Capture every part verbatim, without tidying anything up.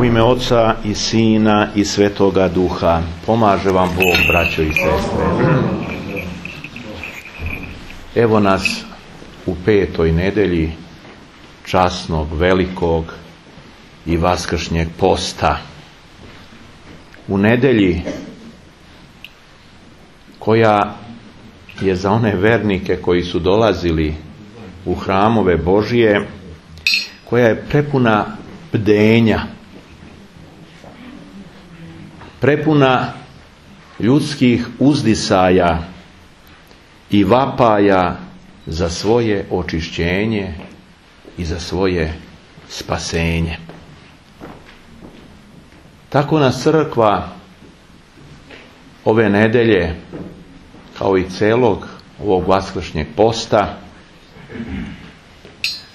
ime Oca i Sina i Svetoga Duha. Pomaže vam Bog, braćo i sestre. Evo nas u petoj nedelji časnog, velikog i vaskršnjeg posta. U nedelji koja je za one vernike koji su dolazili u hramove Božije, koja je prepuna bdenja, prepuna ljudskih uzdisaja i vapaja za svoje očišćenje i za svoje spasenje. Tako nas crkva ove nedelje, kao i celog ovog vaskršnjeg posta,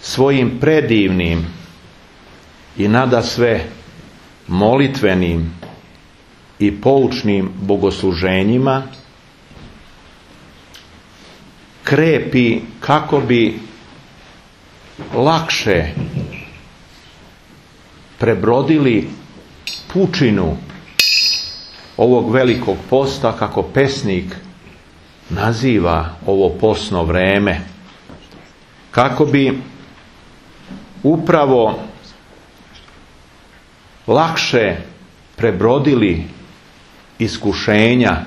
svojim predivnim i nadasve molitvenim i poučnim bogosluženjima krepi kako bi lakše prebrodili pučinu ovog velikog posta, kako pesnik naziva ovo postno vreme, kako bi upravo lakše prebrodili iskušenja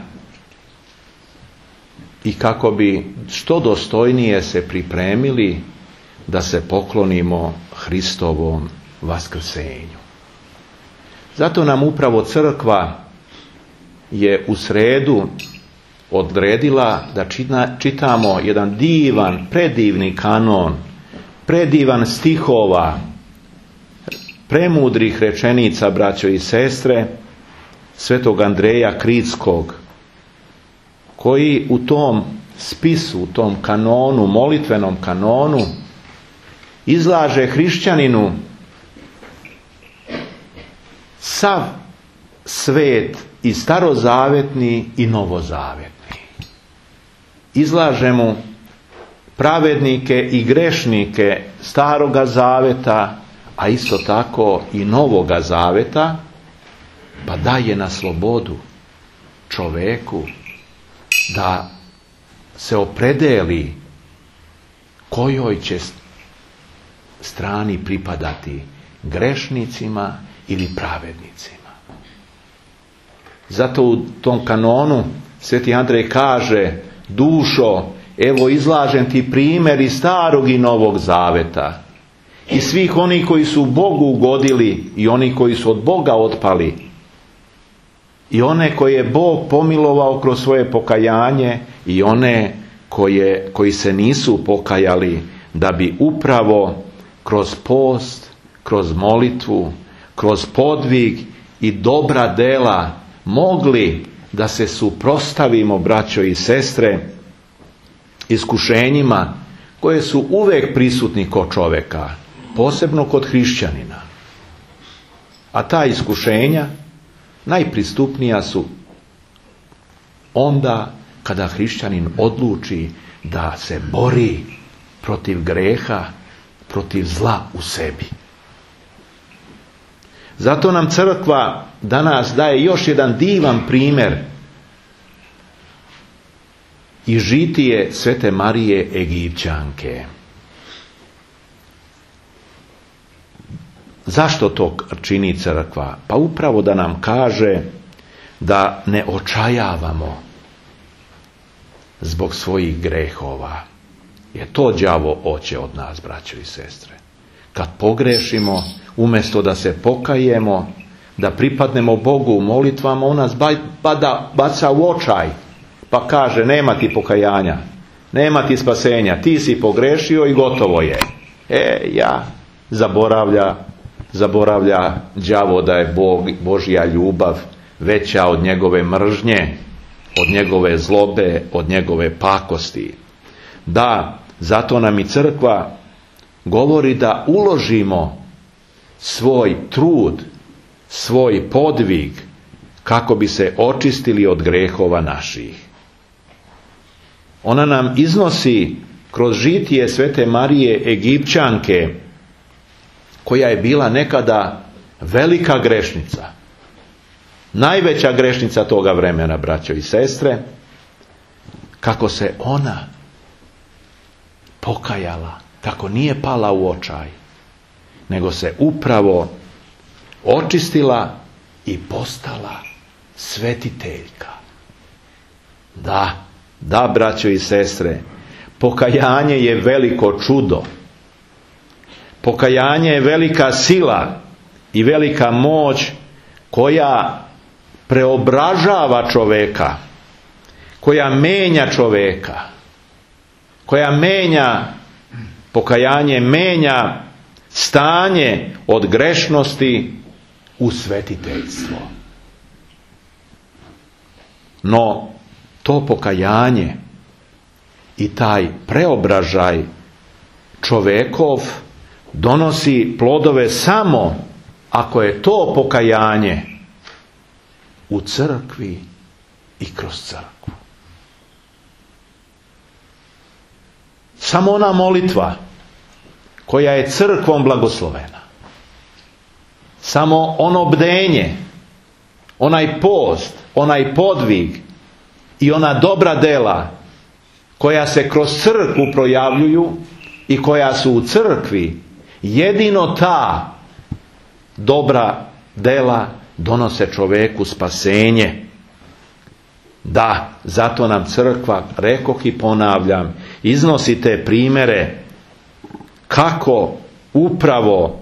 i kako bi što dostojnije se pripremili da se poklonimo Hristovom vaskrsenju. Zato nam upravo crkva je u sredu odredila da čitamo jedan divan, predivni kanon, predivan stihova, premudrih rečenica, braćo i sestre, svetog Andreja Kritskog, koji u tom spisu, u tom kanonu, molitvenom kanonu, izlaže hrišćaninu sav svet i starozavetni i novozavetni. Izlaže mu pravednike i grešnike staroga zaveta, a isto tako i novoga zaveta, pa daje na slobodu čoveku da se opredeli kojoj će strani pripadati, grešnicima ili pravednicima. Zato u tom kanonu sveti Andrej kaže: dušo, evo izlažem ti primjer iz starog i novog zaveta. I svih onih koji su Bogu ugodili i oni koji su od Boga otpali. I one koje je Bog pomilovao kroz svoje pokajanje i one koje, koji se nisu pokajali, da bi upravo kroz post, kroz molitvu, kroz podvig i dobra dela mogli da se suprotstavimo, braćo i sestre, iskušenjima koje su uvek prisutni kod čoveka, posebno kod hrišćanina. A ta iskušenja najpristupnija su onda kada hrišćanin odluči da se bori protiv greha, protiv zla u sebi. Zato nam crkva danas daje još jedan divan primjer i žitije svete Marije Egipćanke. Zašto to čini crkva? Pa upravo da nam kaže da ne očajavamo zbog svojih grehova. Jer to đavo hoće od nas, braćo i sestre. Kad pogrešimo, umjesto da se pokajemo, da pripadnemo Bogu u molitvama, on nas bada, baca u očaj, pa kaže: nema ti pokajanja, nema ti spasenja, ti si pogrešio i gotovo je. E, ja, zaboravlja, zaboravlja đavo da je Bog, Božja ljubav veća od njegove mržnje, od njegove zlobe, od njegove pakosti. Da, zato nam i crkva govori da uložimo svoj trud, svoj podvig, kako bi se očistili od grehova naših. Ona nam iznosi kroz žitije svete Marije Egipćanke, koja je bila nekada velika grešnica, najveća grešnica toga vremena, braćo i sestre, kako se ona pokajala, kako nije pala u očaj, nego se upravo očistila i postala svetiteljka. Da, da, braćo i sestre, pokajanje je veliko čudo. Pokajanje je velika sila i velika moć koja preobražava čoveka, koja menja čoveka, koja menja, pokajanje menja stanje od grešnosti u svetiteljstvo. No, to pokajanje i taj preobražaj čovekov donosi plodove samo ako je to pokajanje u crkvi i kroz crkvu. Samo ona molitva koja je crkvom blagoslovena, samo ono bdenje, onaj post, onaj podvig i ona dobra dela koja se kroz crkvu projavljuju i koja su u crkvi, jedino ta dobra dela donose čoveku spasenje. Da, zato nam crkva, rekoh i ponavljam, iznosi te primere kako upravo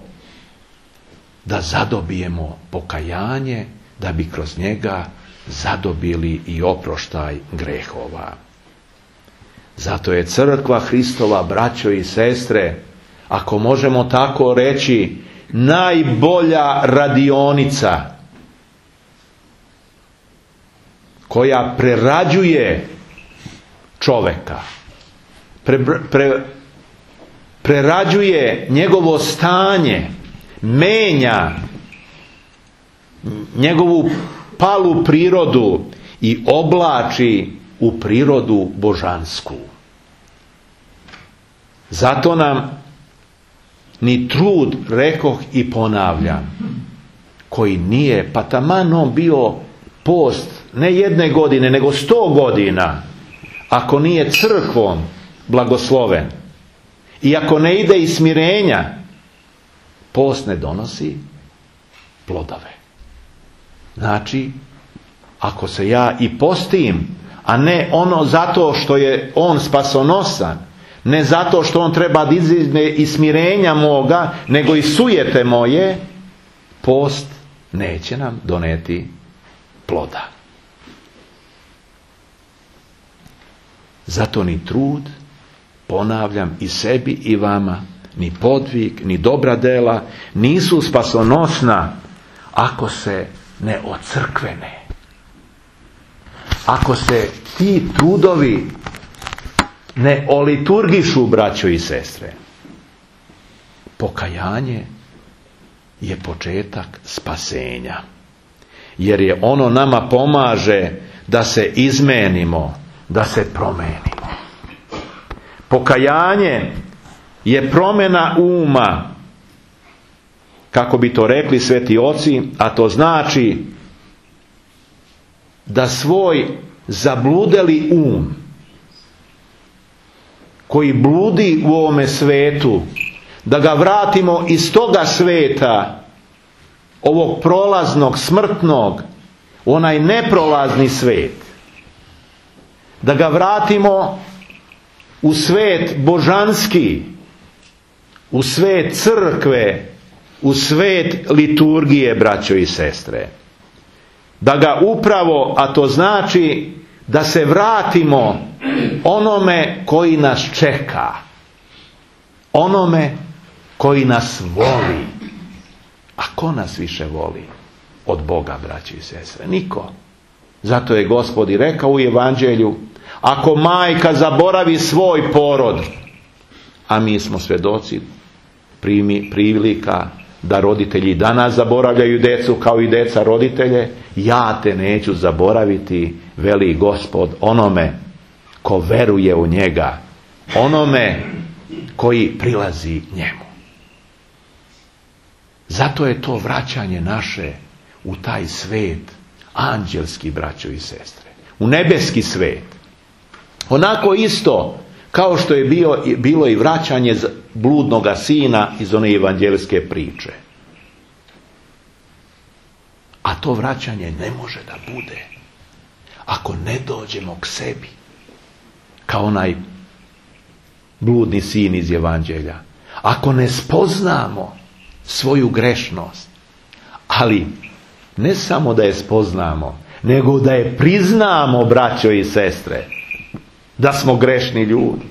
da zadobijemo pokajanje, da bi kroz njega zadobili i oproštaj grehova. Zato je crkva Hristova, braćo i sestre, ako možemo tako reći, najbolja radionica koja prerađuje čoveka, pre, pre, prerađuje njegovo stanje, menja njegovu palu prirodu i oblači u prirodu božansku. Zato nam ni trud, rekoh i ponavljam, koji nije, pa taman on bio post ne jedne godine, nego sto godina, ako nije crkvom blagosloven i ako ne ide iz smirenja, post ne donosi plodove. Znači, ako se ja i postim, a ne ono zato što je on spasonosan, ne zato što on treba da iziđe iz smirenja moga, nego i sujete moje, post neće nam doneti ploda. Zato ni trud, ponavljam i sebi i vama, ni podvig, ni dobra dela nisu spasonosna ako se ne ocrkvene. Ako se ti trudovi ne oliturgišu, braćo i sestre. Pokajanje je početak spasenja. Jer je ono nama pomaže da se izmenimo, da se promenimo. Pokajanje je promjena uma, kako bi to rekli sveti oci, a to znači da svoj zabludeli um, koji bludi u ovome svetu, da ga vratimo iz toga sveta, ovog prolaznog, smrtnog, u onaj neprolazni svet. Da ga vratimo u svet božanski, u svet crkve, u svet liturgije, braćo i sestre. Da ga upravo, a to znači da se vratimo onome koji nas čeka, onome koji nas voli. A ko nas više voli od Boga, braći i sestre? Niko. Zato je Gospod i rekao u Evanđelju, ako majka zaboravi svoj porod, a mi smo svjedoci primi, prilika da roditelji danas zaboravljaju decu kao i deca roditelje, ja te neću zaboraviti, veli Gospod, onome ko veruje u njega, onome koji prilazi njemu. Zato je to vraćanje naše u taj svet, anđelski, braćo i sestre, u nebeski svet. Onako isto kao što je bio, bilo i vraćanje bludnoga sina iz one evanđelske priče. A to vraćanje ne može da bude ako ne dođemo k sebi, kao onaj bludni sin iz evanđelja. Ako ne spoznamo svoju grešnost, ali ne samo da je spoznamo, nego da je priznamo, braćo i sestre, da smo grešni ljudi.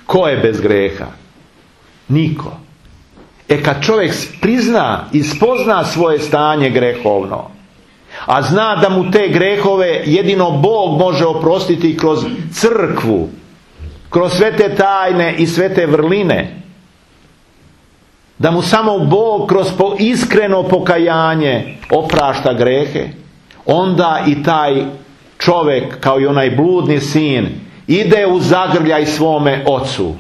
Ko je bez greha? Niko. E kad čovjek prizna i spozna svoje stanje grehovno, a zna da mu te grehove jedino Bog može oprostiti kroz crkvu, kroz sve te tajne i sve te vrline, da mu samo Bog kroz iskreno pokajanje oprašta grehe, onda i taj čovjek, kao i onaj bludni sin, ide u zagrljaj svome ocu,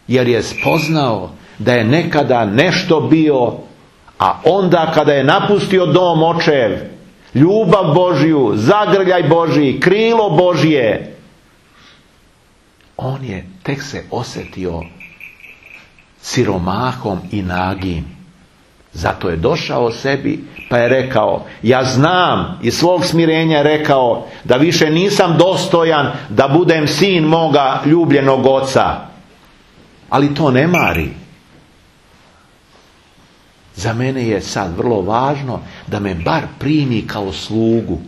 jer je spoznao da je nekada nešto bio, a onda kada je napustio dom očev, ljubav Božju, zagrljaj Božji, krilo Božje, on je tek se osjetio siromahom i nagim. Zato je došao sebi pa je rekao, ja znam, iz svog smirenja je rekao da više nisam dostojan da budem sin moga ljubljenog oca. Ali to ne mari. Za mene je sad vrlo važno da me bar primi kao slugu.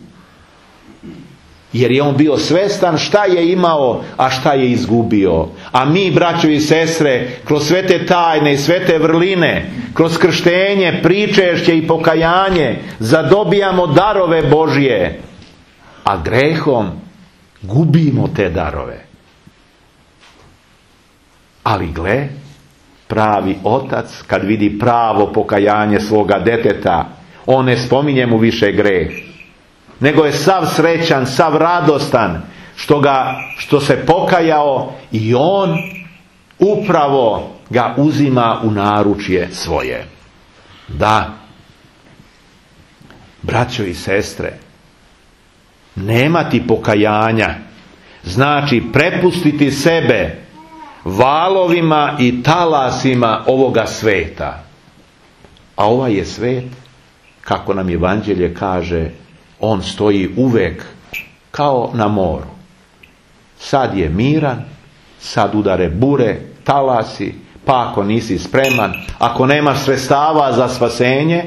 Jer je on bio svestan šta je imao, a šta je izgubio. A mi, braćo i sestre, kroz sve te tajne i sve te vrline, kroz krštenje, pričešće i pokajanje, zadobijamo darove Božje, a grehom gubimo te darove. Ali gle, pravi otac, kad vidi pravo pokajanje svoga deteta, on ne spominje mu više greh, nego je sav srećan, sav radostan što, ga, što se pokajao i on upravo ga uzima u naručje svoje. Da, braćo i sestre, nemati pokajanja znači prepustiti sebe valovima i talasima ovoga sveta. A ovaj je svet, kako nam evanđelje kaže, on stoji uvek kao na moru. Sad je miran, sad udare bure, talasi, pa ako nisi spreman, ako nemaš sredstava za spasenje,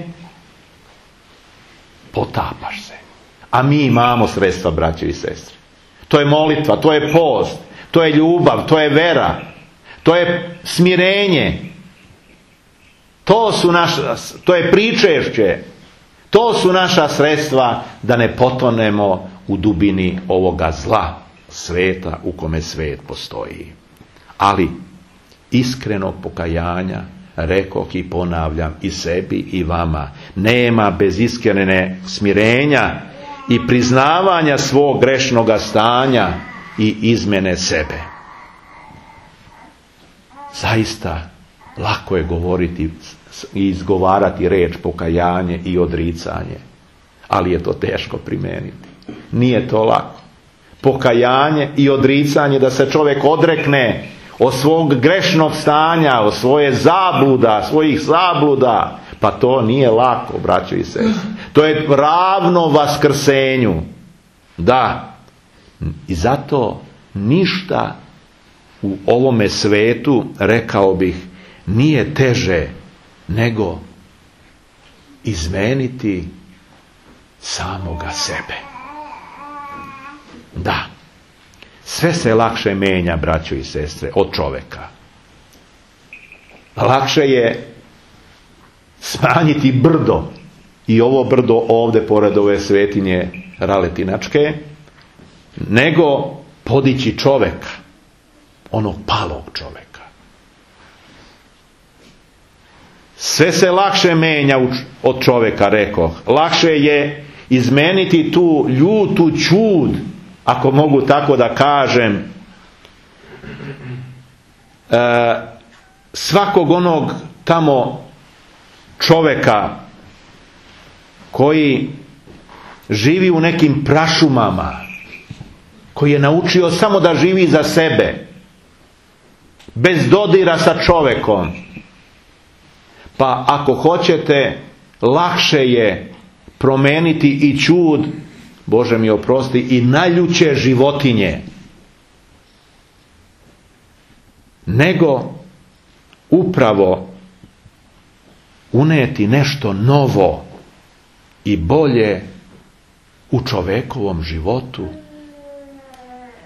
potapaš se. A mi imamo sredstva, braće i sestre. To je molitva, to je post, to je ljubav, to je vera, to je smirenje. To su naša, to je pričešće. To su naša sredstva da ne potonemo u dubini ovoga zla sveta u kome svet postoji. Ali iskrenog pokajanja, rekoh i ponavljam i sebi i vama, nema bez iskrene smirenja i priznavanja svog grešnoga stanja i izmene sebe. Zaista lako je govoriti i izgovarati reč pokajanje i odricanje, ali je to teško primijeniti. Nije to lako. Pokajanje i odricanje, da se čovjek odrekne od svog grešnog stanja, od svoje zabluda, svojih zabluda, pa to nije lako, braćo i sestre. To je ravno vaskrsenju. Da. I zato ništa u ovome svetu, rekao bih, nije teže nego izmeniti samoga sebe. Da. Sve se lakše menja, braćo i sestre, od čoveka. Lakše je smanjiti brdo, i ovo brdo ovdje pored ove svetinje Raletinačke, nego podići čoveka, onog palog čoveka. Sve se lakše menja od čoveka, rekoh. Lakše je izmeniti tu ljutu ćud, ako mogu tako da kažem, e, svakog onog tamo čoveka koji živi u nekim prašumama, koji je naučio samo da živi za sebe, bez dodira sa čovekom. Pa ako hoćete, lakše je promeniti i čud, Bože mi oprosti, i najljuće životinje, nego upravo uneti nešto novo i bolje u čovekovom životu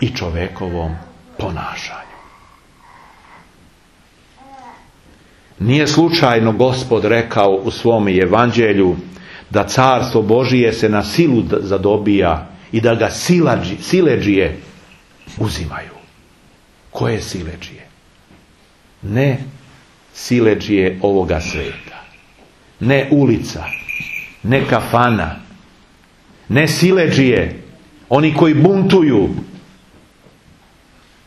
i čovekovom ponašanju. Nije slučajno Gospod rekao u svom evanđelju da carstvo Božije se na silu zadobija i da ga silađi, siledžije uzimaju. Koje siledžije? Ne siledžije ovoga sveta, ne ulica, ne kafana, ne siledžije, oni koji buntuju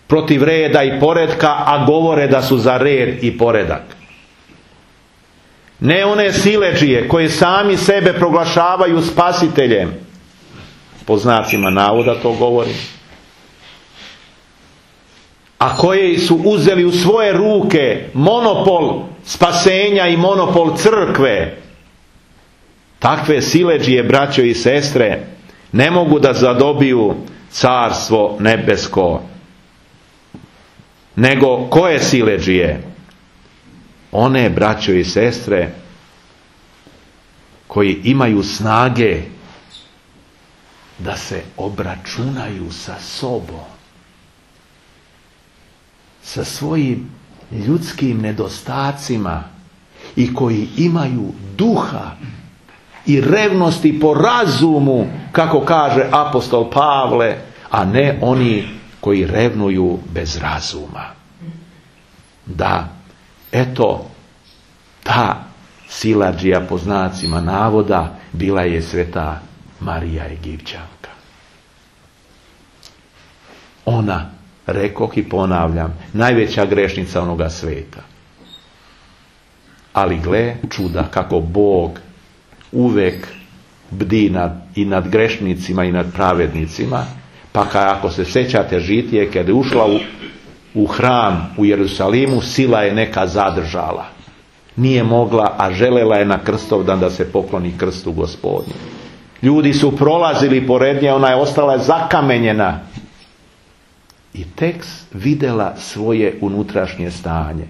protiv reda i poretka, a govore da su za red i poredak. Ne one siledžije koje sami sebe proglašavaju spasiteljem, po znacima navoda to govorim, a koje su uzeli u svoje ruke monopol spasenja i monopol crkve. Takve siledžije, braćo i sestre, ne mogu da zadobiju carstvo nebesko. Nego koje siledžije? One, braćo i sestre, koji imaju snage da se obračunaju sa sobom, sa svojim ljudskim nedostacima, i koji imaju duha i revnosti po razumu, kako kaže apostol Pavle, a ne oni koji revnuju bez razuma. Da, eto, ta siledžija, po znacima navoda, bila je sveta Marija Egipćanka. Ona, rekoh i ponavljam, najveća grešnica onoga sveta. Ali gle čuda kako Bog uvek bdi nad, i nad grešnicima i nad pravednicima. Pa ako se sjećate žitije, kada je ušla u, u hram u Jerusalimu, sila je neka zadržala. Nije mogla, a želela je na Krstovdan da se pokloni krstu Gospodnju. Ljudi su prolazili pored nje, ona je ostala zakamenjena. I tek vidjela svoje unutrašnje stanje.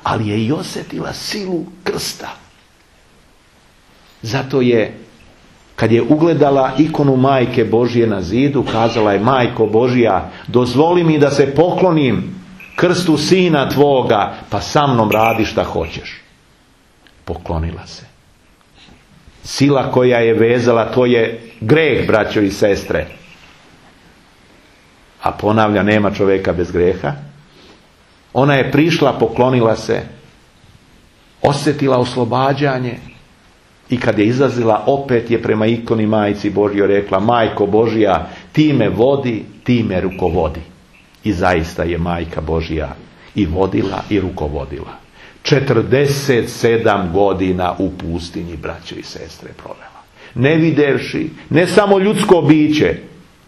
Ali je i osjetila silu krsta. Zato je, kad je ugledala ikonu Majke Božje na zidu, kazala je: Majko Božja, dozvoli mi da se poklonim krstu sina tvoga, pa sa mnom radi šta hoćeš. Poklonila se. Sila koja je vezala, to je greh, braćo i sestre. A ponavlja, nema čovjeka bez greha. Ona je prišla, poklonila se, osjetila oslobađanje, i kad je izlazila, opet je prema ikoni Majci Božjoj rekla: Majko Božja, ti me vodi, ti me rukovodi. I zaista je Majka Božja i vodila i rukovodila. četrdeset sedam godina u pustinji, braćo i sestre, provela. Ne videvši, ne samo ljudsko biće,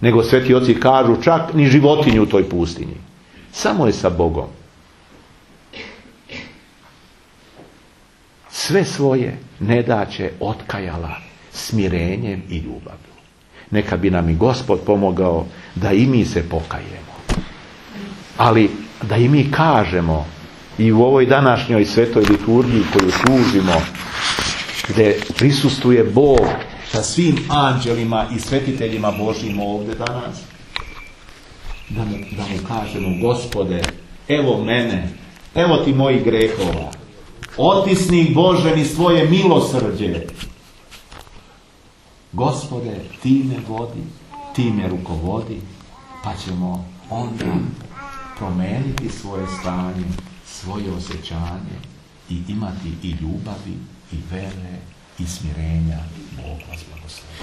nego sveti oci kažu čak ni životinju u toj pustinji. Samo je sa Bogom. Sve svoje nedaće otkajala smirenjem i ljubavlju. Neka bi nam i Gospod pomogao da i mi se pokajemo. Ali da i mi kažemo, i u ovoj današnjoj svetoj liturgiji koju služimo, gdje prisustuje Bog sa svim anđelima i svetiteljima Božjim ovdje danas, da mu, da mu kažemo: Gospode, evo mene, evo ti mojih grehova, otisni Bože mi svoje milosrđe. Gospode, ti me vodi, ti me rukovodi, pa ćemo onda promeniti svoje stanje, svoje osjećanje i imati i ljubavi, i vere, i smirenja. Bog vas blagoslovi.